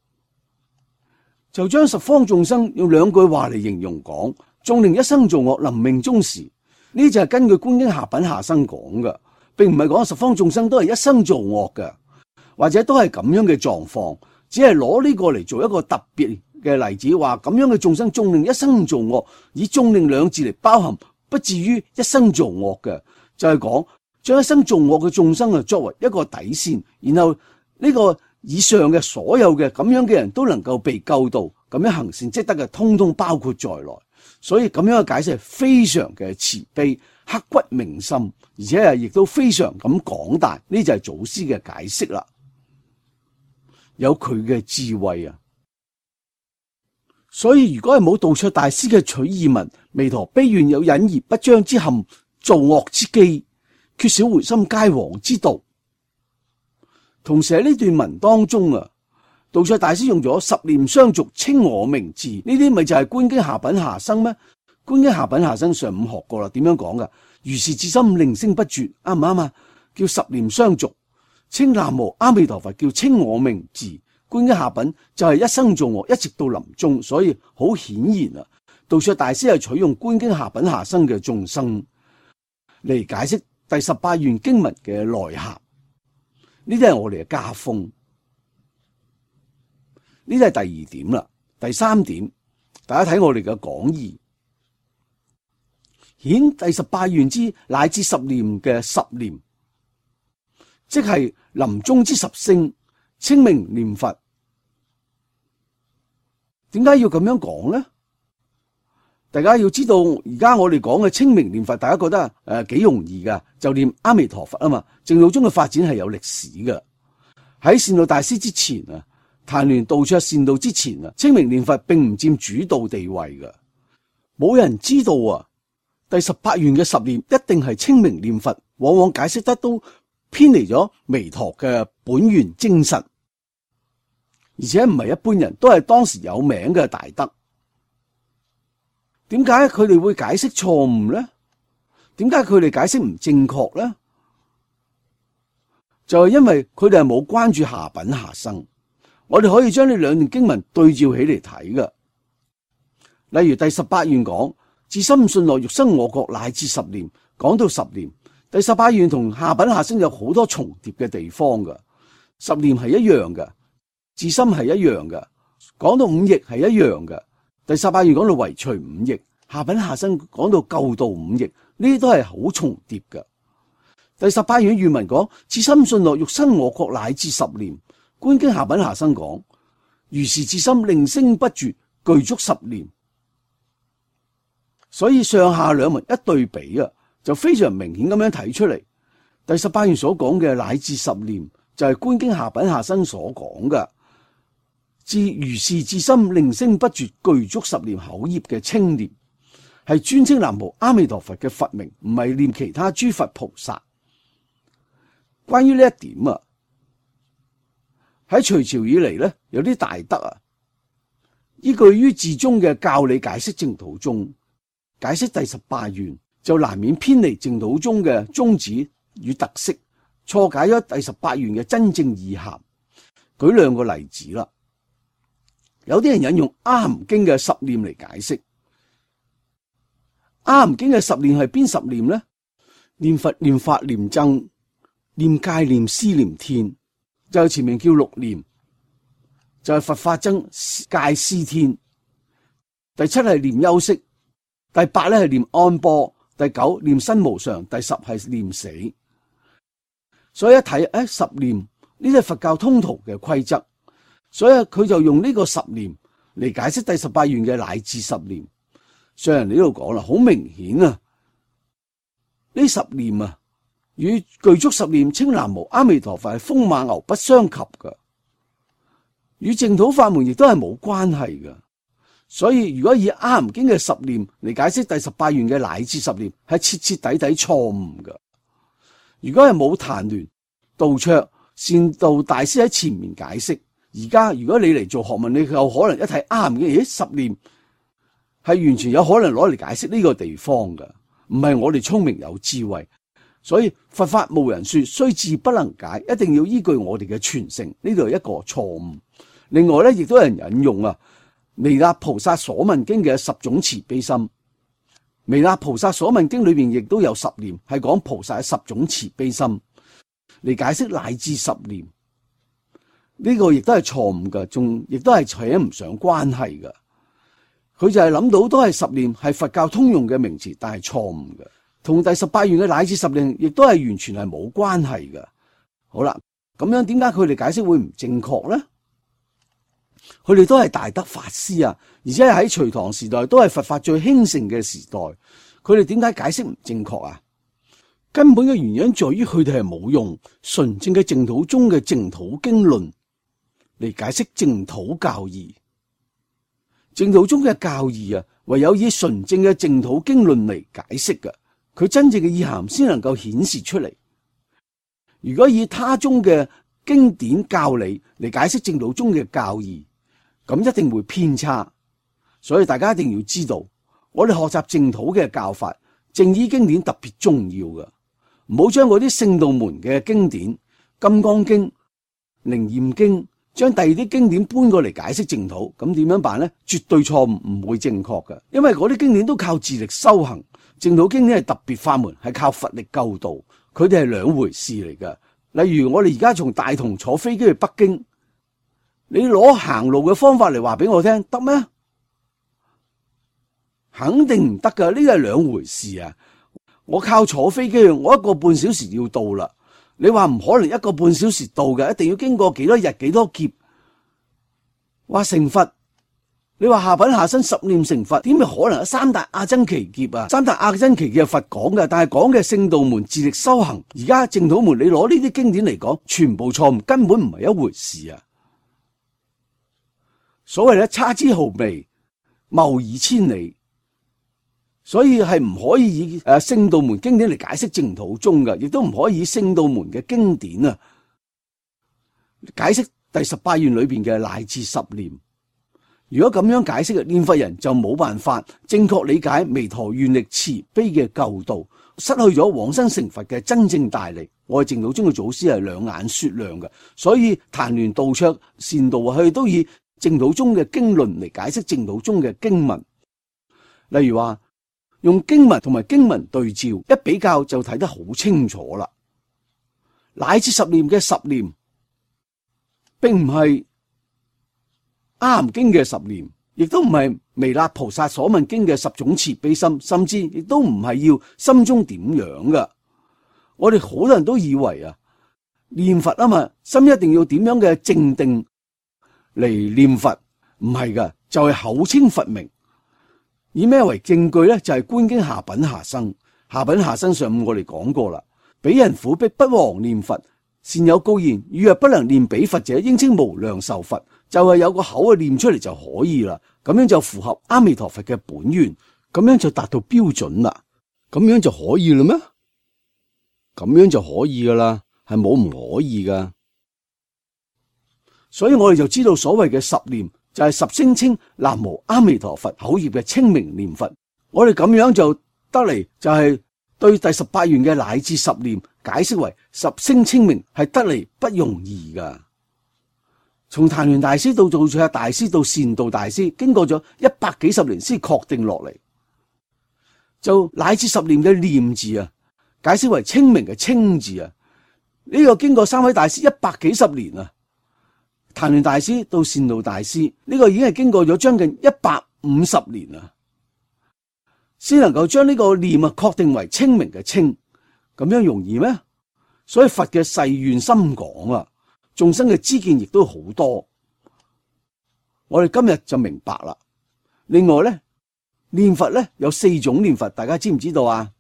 Speaker 1: 就將十方眾生用兩句話嚟形容講：眾令一生做惡，臨命終時。呢就係根據觀經下品下生講嘅，並唔係講十方眾生都係一生做惡嘅，或者都係咁樣嘅狀況，只係攞呢個嚟做一個特別嘅例子，話咁樣嘅眾生眾令一生做惡，以眾令兩字嚟包含，不至於一生做惡嘅，就係講將一生做惡嘅眾生啊作為一個底線，然後呢個以上嘅所有嘅咁樣嘅人都能夠被救到，咁樣行善積德嘅，通通包括在內。所以咁樣嘅解釋係非常嘅慈悲，刻骨銘心，而且係亦都非常咁廣大。呢就係祖師嘅解釋啦，有佢嘅智慧啊！所以如果係冇道卓大師嘅取意文，彌陀悲願有隱而不彰之憾，造惡之機，缺少回心皆往之道。同時喺呢段文當中啊，道卓大師用咗十念相續稱我名字，呢啲咪就係觀經下品下生咩？觀經下品下生上午學過啦，點樣講噶？如是至心令聲不絕，啱唔啱啊？叫十念相續，稱南無阿彌陀佛叫稱我名字。觀經下品就係一生做惡，一直到臨終，所以好顯然啊，道卓大師係取用觀經下品下生嘅眾生嚟解釋第十八願經文嘅內涵。呢啲係我哋嘅家風。呢啲係第二點啦，第三點，大家睇我哋嘅講義，顯第十八願之乃至十念嘅十念，即係臨終之十聲，稱名念佛。點解要咁樣講呢？大家要知道，而家我哋講嘅稱名念佛，大家覺得誒幾容易噶，就念阿彌陀佛啊嘛。淨土宗嘅發展係有歷史嘅，喺善導大師之前啊。曇鸞道卓善導之前啊，稱名念佛並唔佔主導地位嘅，冇人知道啊。第十八願嘅十念一定係稱名念佛，往往解釋得都偏離咗彌陀嘅本願精神，而且唔係一般人，都係當時有名嘅大德。點解佢哋會解釋錯誤呢？點解佢哋解釋唔正確呢？就係因為佢哋係冇關注下品下生。我哋可以將呢兩段經文對照起嚟睇嘅，例如第十八願講至心信樂欲生我國乃至十念，講到十念，第十八願同下品下生有好多重疊嘅地方嘅，十念係一樣嘅，至心係一樣嘅，講到五逆係一樣嘅，第十八願講到唯除五逆，下品下生講到救度五逆，呢啲都係好重疊嘅。第十八願願文講至心信樂欲生我國乃至十念。觀經下品下生講如是至心令聲不絕，具足十念，所以上下兩文一對比啊，就非常明顯咁樣睇出嚟。第十八願所講嘅乃至十念，就係觀經下品下生所講嘅，至如是至心令聲不絕具足十念口業嘅稱念，係專稱南無阿彌陀佛嘅佛名，唔係念其他諸佛菩薩。關於呢一點啊，喺隋朝以嚟咧，有啲大德啊，依據於自宗嘅教理解釋淨土宗，解釋第十八願，就難免偏離淨土宗嘅宗旨與特色，錯解咗第十八願嘅真正意涵。舉兩個例子啦，有啲人引用阿含經嘅十念嚟解釋。阿含經嘅十念係邊十念呢？念佛、念法、念僧、念戒、念施、念天，就前面叫六念，就係佛法僧戒施天。第七係念休息，第八咧係念安般，第九念身無常，第十係念死。所以一睇誒，十念呢啲係佛教通途嘅規則，所以佢就用呢個十念嚟解釋第十八願嘅乃至十念。上人呢度講啦，好明顯啊，呢十念啊與具足十念稱南無阿彌陀佛係風馬牛不相及噶，與淨土法門亦都係冇關係噶。所以如果以阿含經嘅十念嚟解釋第十八願嘅乃至十念，係徹徹底底錯誤噶。如果係冇曇鸞、道綽、善導大師喺前面解釋，而家如果你嚟做學問，你有可能一睇阿含經，咦，十念係完全有可能攞嚟解釋呢個地方噶，唔係我哋聰明有智慧。所以佛法無人說，雖智不能解，一定要依據我哋嘅傳承。呢度係一個錯誤。另外咧，亦都有人引用啊彌勒菩薩所問經嘅十種慈悲心。彌勒菩薩所問經裏邊亦都有十念，係講菩薩嘅十種慈悲心嚟解釋乃至十念。呢個亦都係錯誤噶，仲亦都係扯唔上關係噶。佢就係諗到都係十念係佛教通用嘅名詞，但係錯誤嘅，同第十八願嘅乃至十念亦都係完全係冇關係嘅。好啦，咁樣點解佢哋解釋會唔正確咧？佢哋都係大德法師啊，而且喺隋唐時代都係佛法最興盛嘅時代，佢哋點解解釋唔正確啊？根本嘅原因在於佢哋係冇用純正嘅淨土宗嘅淨土經論嚟解釋淨土教義。淨土宗嘅教義啊，唯有以純正嘅淨土經論嚟解釋嘅，佢真正嘅意涵先能夠顯示出嚟。如果以他宗嘅經典教理嚟解釋淨土宗嘅教義，咁一定會偏差。所以大家一定要知道，我哋學習淨土嘅教法，正依經典特別重要嘅，唔好將嗰啲聖道門嘅經典、金剛經、靈驗經，將第二啲經典搬過嚟解釋淨土，咁點樣辦呢？絕對錯誤，唔會正確嘅，因為嗰啲經典都靠自力修行，淨土經典係特別法門，係靠佛力救度，佢哋係兩回事嚟嘅。例如我哋而家從大同坐飛機去北京，你攞行路嘅方法嚟話俾我聽，得咩？肯定唔得噶，呢個係兩回事啊！我靠坐飛機，我一個半小時要到啦。你話唔可能一個半小時到嘅，一定要經過幾多日幾多劫。話成佛，你話下品下生十念成佛，點會可能有三大阿僧祇劫啊？三大阿僧祇劫係佛講嘅，但係講嘅聖道門自力修行。而家淨土門，你攞呢啲經典嚟講，全部錯誤，根本唔係一回事啊！所謂嘅差之毫微，謬以千里。所以係唔可以以誒聖道門經典嚟解釋淨土宗嘅，亦都唔可以以聖道門嘅經典啊解釋第十八願裏邊嘅乃至十念。如果咁樣解釋嘅，念佛人就冇辦法正確理解彌陀願力慈悲嘅救度，失去咗往生成佛嘅真正大利。我哋淨土宗嘅祖師係兩眼雪亮嘅，所以曇鸞道綽善導佢哋都以淨土宗嘅經論嚟解釋淨土宗嘅經文。例如話，用經文同埋經文對照，一比較就睇得好清楚啦。乃至十念嘅十念，並唔係阿含經嘅十念，亦都唔係彌勒菩薩所問經嘅十種慈悲心，甚至亦都唔係要心中點樣噶。我哋好多人都以為啊，念佛啊嘛，心一定要點樣嘅靜定嚟念佛，唔係噶，就係口稱佛名。以咩為證據咧？就係、是、觀經下品下生。下品下生上午我哋講過啦，彼人苦逼不忘念佛，善有告言：汝若不能念彼佛者，應稱無量壽佛。就係、是、有個口啊念出嚟就可以啦，咁樣就符合阿彌陀佛嘅本願，咁樣就達到標準啦。咁樣就可以啦咩？咁樣就可以噶啦，係冇唔可以噶。所以我哋就知道所謂嘅十念就係十聲稱南無阿彌陀佛口業嘅清明念佛。我哋咁樣就得嚟，就係對第十八願嘅乃至十念解釋為十聲清明係得嚟不容易噶。從曇鸞大師到道卓大師到善導大師，經過咗一百幾十年先確定落嚟，就乃至十念嘅念字啊，解釋為清明嘅清字啊。呢、這個經過三位大師一百幾十年啊，曇鸞大師到善導大師，呢、這個已經係經過咗將近一百五十年啊，先能夠將呢個念啊確定為清明嘅清，咁樣容易咩？所以佛嘅誓願深廣啊，眾生嘅知見亦都好多。我哋今日就明白啦。另外咧，念佛咧有四種念佛，大家知唔知道啊？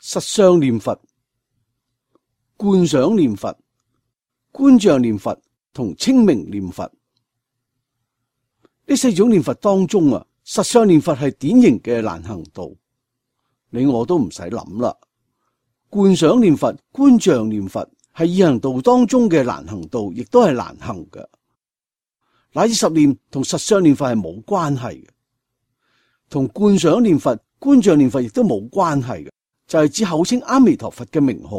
Speaker 1: 實相念佛、觀想念佛、觀像念佛同清明念佛。呢四種念佛當中啊，實相念佛係典型嘅難行道，你我都唔使諗啦。觀想念佛、觀像念佛係易行道當中嘅難行道，亦都係難行嘅。乃至十念同實相念佛係冇關係嘅，同觀想念佛、觀像念佛亦都冇關係嘅，就係、是、指口稱阿彌陀佛嘅名號。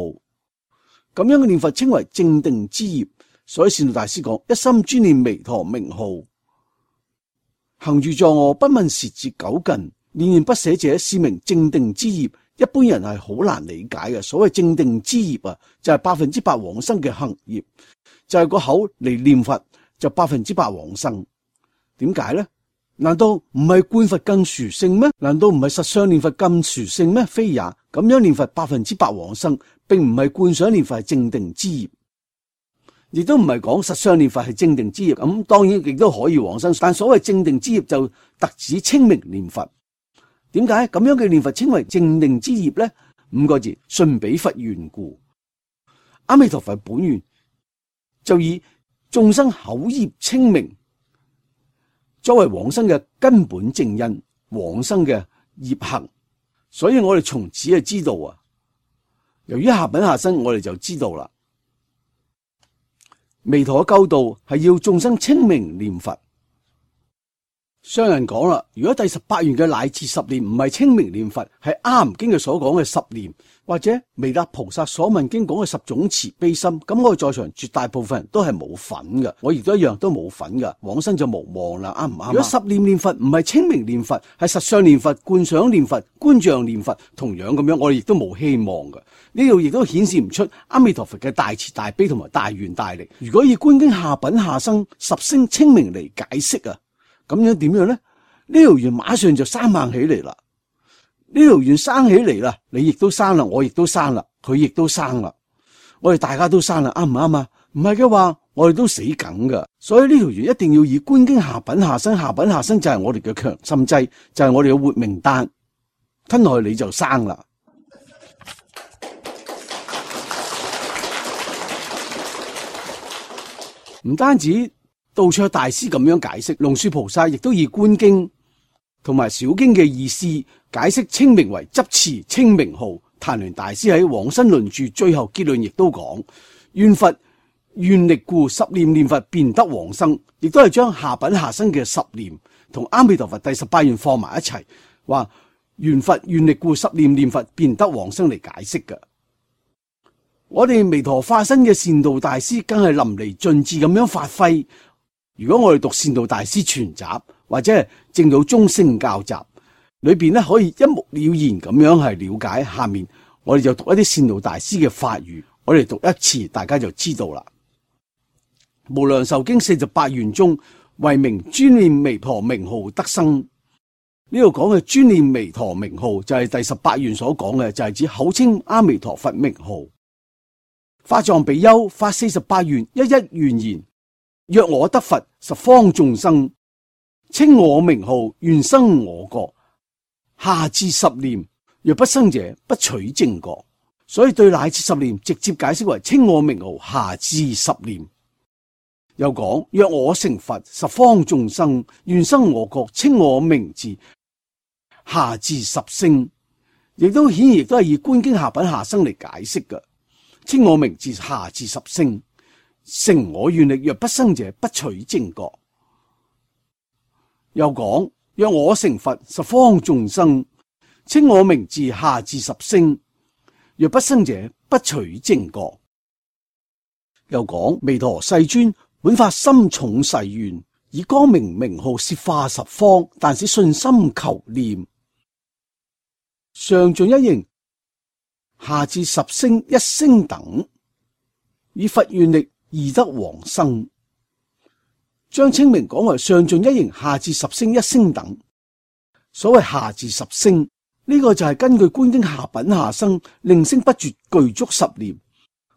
Speaker 1: 咁樣嘅念佛稱為正定之業，所以善導大師講：一心專念彌陀名號，行住坐臥不問時節久近，念念不捨者是名正定之業。一般人係好難理解嘅。所謂正定之業啊，就係百分之百往生嘅行業，就係、是、個口嚟念佛就百分之百往生。點解咧？難道唔係觀佛更殊勝咩？難道唔係實相念佛更殊勝咩？非也。咁樣念佛百分之百往生，並唔係觀想念佛係正定之業，亦都唔係講實相念佛係正定之業。咁當然亦都可以往生，但所謂正定之業就特指清明念佛。點解咁樣嘅念佛稱為正定之業呢？五個字：順彼佛緣故。阿彌陀佛本願就以眾生口業清明作為往生嘅根本正因，往生嘅業行。所以我哋從此就知道啊，由於下品下生，我哋就知道啦。彌陀嘅救度係要眾生清明念佛。商人講啦，如果第十八願嘅乃至十念唔係清明念佛，係阿含經嘅所講嘅十念，或者彌勒菩薩所聞經講嘅十種慈悲心，咁我哋在場絕大部分人都係冇份嘅，我亦都一樣都冇份噶，往生就無望啦，啱唔啱？如果十念念佛唔係清明念佛，係實相念佛、觀想念佛、觀像念佛，同樣咁樣，我哋亦都冇希望嘅。呢度亦都顯示唔出阿彌陀佛嘅大慈大悲同埋大願大力。如果以觀經下品下生十聲清明嚟解釋啊，咁樣點樣咧？呢條願馬上就生猛起嚟啦！呢條願生起嚟啦，你亦都生啦，我亦都生啦，佢亦都生啦，我哋大家都生啦，啱唔啱啊？唔係嘅話，我哋都死梗噶。所以呢條願一定要以觀經下品下生，下品下生就係我哋嘅強心劑，就係我哋嘅活命丹，吞落去你就生啦。唔單止道卓大師咁樣解釋，龍樹菩薩亦都以觀經同埋小經嘅意思解釋清明為執持清明號。曇鸞大師喺往生論注最後結論亦都講：願佛願力故，十念念佛便得往生。亦都係將下品下生嘅十念同阿彌陀佛第十八願放埋一齊，話願佛願力故，十念念佛便得往生嚟解釋嘅。我哋彌陀化身嘅善導大師更係淋漓盡致咁樣發揮。如果我哋讀善導大師全集或者係證到中聖教集裏邊咧，可以一目了然咁樣係了解。下面我哋就讀一啲善導大師嘅法語，我哋讀一次，大家就知道啦。無量壽經四十八願中，為名專念彌陀名號得生。呢度講嘅專念彌陀名號就係第十八願所講嘅，就係指口稱阿彌陀佛名號。法藏比丘發四十八願，一一願言：若我得佛，十方眾生稱我名號，願生我國。下至十念，若不生者，不取正覺。所以對乃至十念直接解釋為稱我名號下至十念。又講若我成佛，十方眾生願生我國，稱我名字下至十聲，亦都顯然亦都係以觀經下品下生嚟解釋嘅。稱我名字下至十聲，成我願力，若不生者，不取正覺。又講若我成佛，十方眾生稱我名字下至十聲，若不生者，不取正覺。又講彌陀世尊本發深重誓願，以光明名號攝化十方，但使信心求念。上盡一形下至十聲一聲等，以佛願力易得往生。將清明講為上盡一形下至十聲一聲等。所謂下至十聲呢、這個就係根據觀經下品下生令聲不絕具足十念。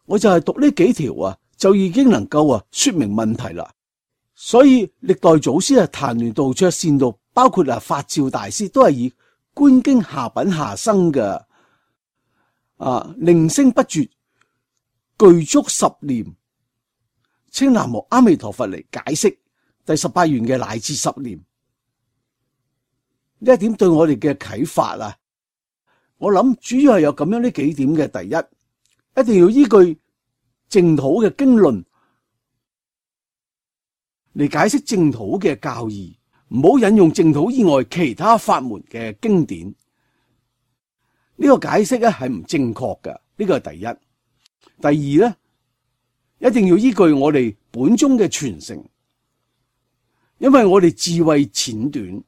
Speaker 1: 我就係讀呢幾條啊，就已經能夠啊說明問題啦。所以歷代祖師啊，曇鸞道卓善導，包括啊法照大師都係以觀經下品下生嘅啊令聲不絕具足十念，稱南無阿彌陀佛嚟解釋第十八願嘅乃至十念。呢一點對我哋嘅啟發啊，我諗主要係有咁樣呢幾點嘅。第一，一定要依據淨土嘅經論嚟解釋淨土嘅教義，唔好引用淨土以外其他法門嘅經典。呢個解釋咧係唔正確嘅，呢個係第一。第二咧，一定要依據我哋本宗嘅傳承，因為我哋智慧淺短，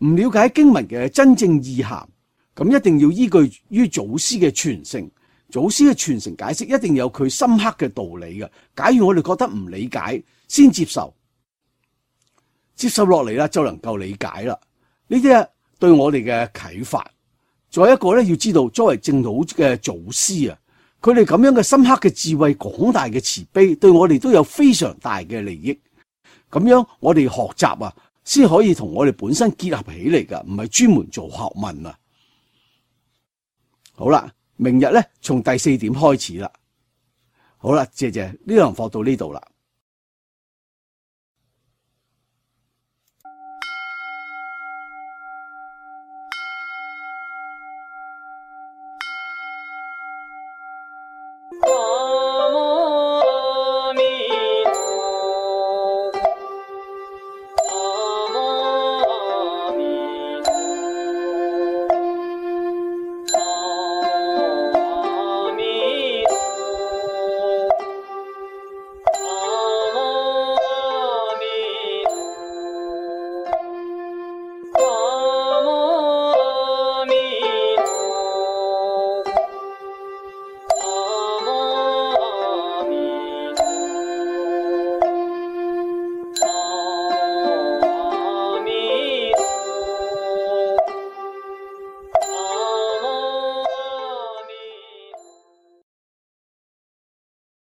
Speaker 1: 唔了解經文嘅真正意涵，咁一定要依據於祖師嘅傳承。祖師嘅傳承解釋一定有佢深刻嘅道理嘅。假如我哋覺得唔理解，先接受，接受落嚟啦，就能夠理解啦。呢啲啊對我哋嘅啟發。再一個咧，要知道作為淨土嘅祖師啊，佢哋咁樣嘅深刻嘅智慧、廣大嘅慈悲，對我哋都有非常大嘅利益。咁樣我哋學習啊，先可以同我哋本身結合起嚟噶，唔係專門做學問啊。好啦，明日咧從第四點開始啦。好啦，謝謝，呢堂課到呢度啦。